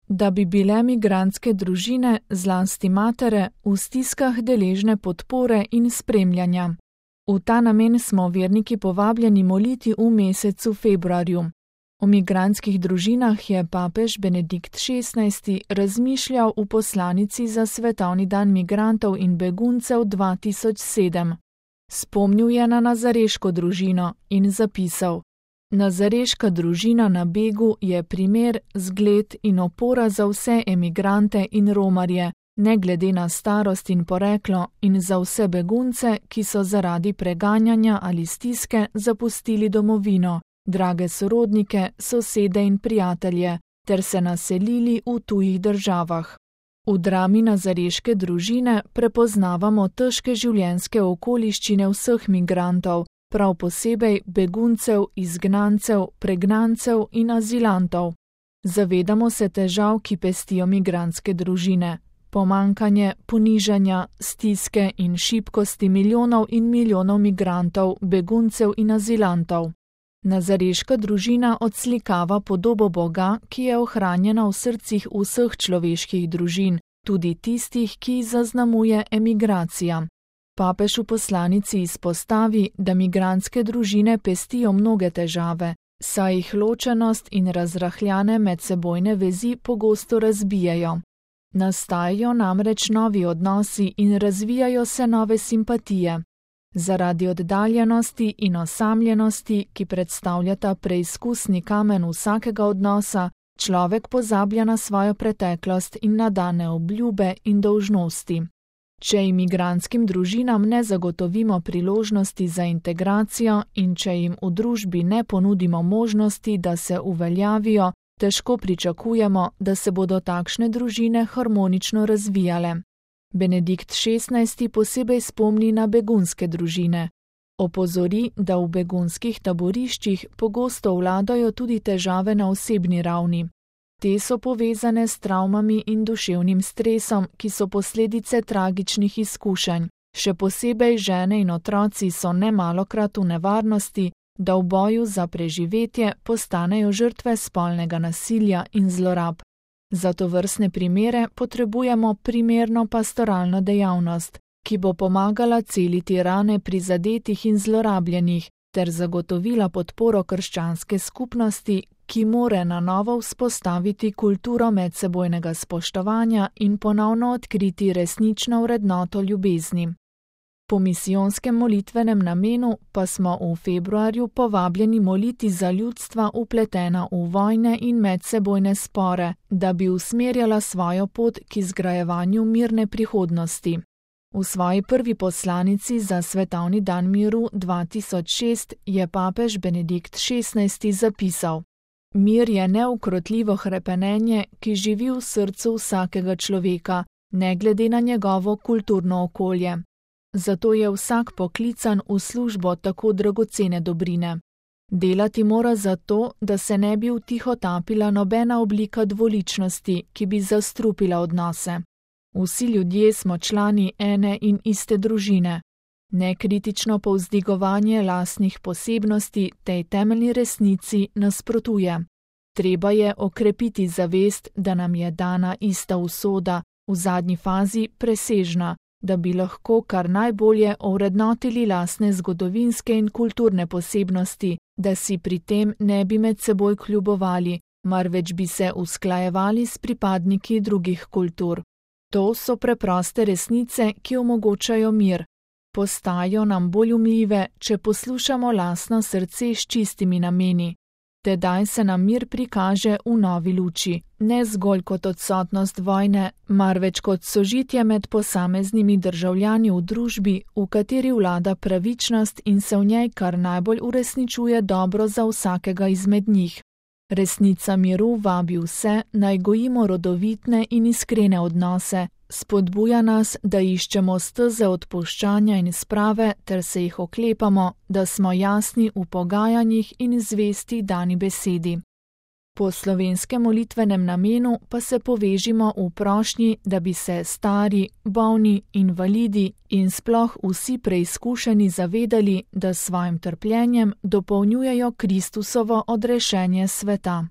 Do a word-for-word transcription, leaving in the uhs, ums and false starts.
da bi bile migrantske družine, zlasti matere, v stiskah deležne podpore in spremljanja. V ta namen smo verniki povabljeni moliti v mesecu februarju. O migrantskih družinah je papež Benedikt šestnajsti razmišljal v poslanici za svetovni dan migrantov in beguncev dva tisoč sedem. Spomnil je na nazareško družino in zapisal: Nazareška družina na begu je primer, zgled in opora za vse emigrante in romarje, ne glede na starost in poreklo, in za vse begunce, ki so zaradi preganjanja ali stiske zapustili domovino, drage sorodnike, sosede in prijatelje, ter se naselili v tujih državah. V drami nazareške družine prepoznavamo težke življenjske okoliščine vseh migrantov, prav posebej beguncev, izgnancev, pregnancev in azilantov. Zavedamo se težav, ki pestijo migrantske družine. Pomankanje, ponižanja, stiske in šibkosti milijonov in milijonov migrantov, beguncev in azilantov. Nazareška družina odslikava podobo Boga, ki je ohranjena v srcih vseh človeških družin, tudi tistih, ki zaznamuje emigracija. Papež v poslanici izpostavi, da migrantske družine pestijo mnoge težave, saj jih ločenost in razrahljane medsebojne vezi pogosto razbijajo. Nastajajo namreč novi odnosi in razvijajo se nove simpatije. Zaradi oddaljenosti in osamljenosti, ki predstavljata preizkusni kamen vsakega odnosa, človek pozablja na svojo preteklost in na dane obljube in dolžnosti. Če imigrantskim družinam ne zagotovimo priložnosti za integracijo in če jim v družbi ne ponudimo možnosti, da se uveljavijo, težko pričakujemo, da se bodo takšne družine harmonično razvijale. Benedikt šestnajsti posebej spomni na begunske družine. Opozori, da v begunskih taboriščih pogosto vladajo tudi težave na osebni ravni. Te so povezane s travmami in duševnim stresom, ki so posledice tragičnih izkušenj. Še posebej žene in otroci so nemalokrat v nevarnosti, da v boju za preživetje postanejo žrtve spolnega nasilja in zlorab. Za tovrstne primere potrebujemo primerno pastoralno dejavnost, ki bo pomagala celiti rane prizadetih in zlorabljenih, ter zagotovila podporo krščanske skupnosti, ki more na novo vzpostaviti kulturo medsebojnega spoštovanja in ponovno odkriti resnično vrednoto ljubezni. Po misijonskem molitvenem namenu pa smo v februarju povabljeni moliti za ljudstva vpletena v vojne in medsebojne spore, da bi usmerjala svojo pot k izgrajevanju mirne prihodnosti. V svoji prvi poslanici za svetovni dan miru dva tisoč šest je papež Benedikt šestnajsti zapisal: Mir je neukrotljivo hrepenenje, ki živi v srcu vsakega človeka, ne glede na njegovo kulturno okolje. Zato je vsak poklican v službo tako dragocene dobrine. Delati mora zato, da se ne bi vtihotapila nobena oblika dvoličnosti, ki bi zastrupila odnose. Vsi ljudje smo člani ene in iste družine. Nekritično povzdigovanje lastnih posebnosti tej temeljni resnici nasprotuje. Treba je okrepiti zavest, da nam je dana ista usoda, v zadnji fazi presežna, da bi lahko kar najbolje ovrednotili lastne zgodovinske in kulturne posebnosti, da si pri tem ne bi med seboj kljubovali, marveč bi se usklajevali s pripadniki drugih kultur. To so preproste resnice, ki omogočajo mir. Postajajo nam bolj umljive, če poslušamo lastno srce s čistimi nameni. Tedaj se nam mir prikaže v novi luči, ne zgolj kot odsotnost vojne, marveč kot sožitje med posameznimi državljani v družbi, v kateri vlada pravičnost in se v njej kar najbolj uresničuje dobro za vsakega izmed njih. Resnica miru vabi vse, naj gojimo rodovitne in iskrene odnose, spodbuja nas, da iščemo steze odpuščanja in sprave ter se jih oklepamo, da smo jasni v pogajanjih in zvesti dani besedi. Po slovenskem molitvenem namenu pa se povežimo v prošnji, da bi se stari, bolni, invalidi in sploh vsi preizkušeni zavedali, da s svojim trpljenjem dopolnjujejo Kristusovo odrešenje sveta.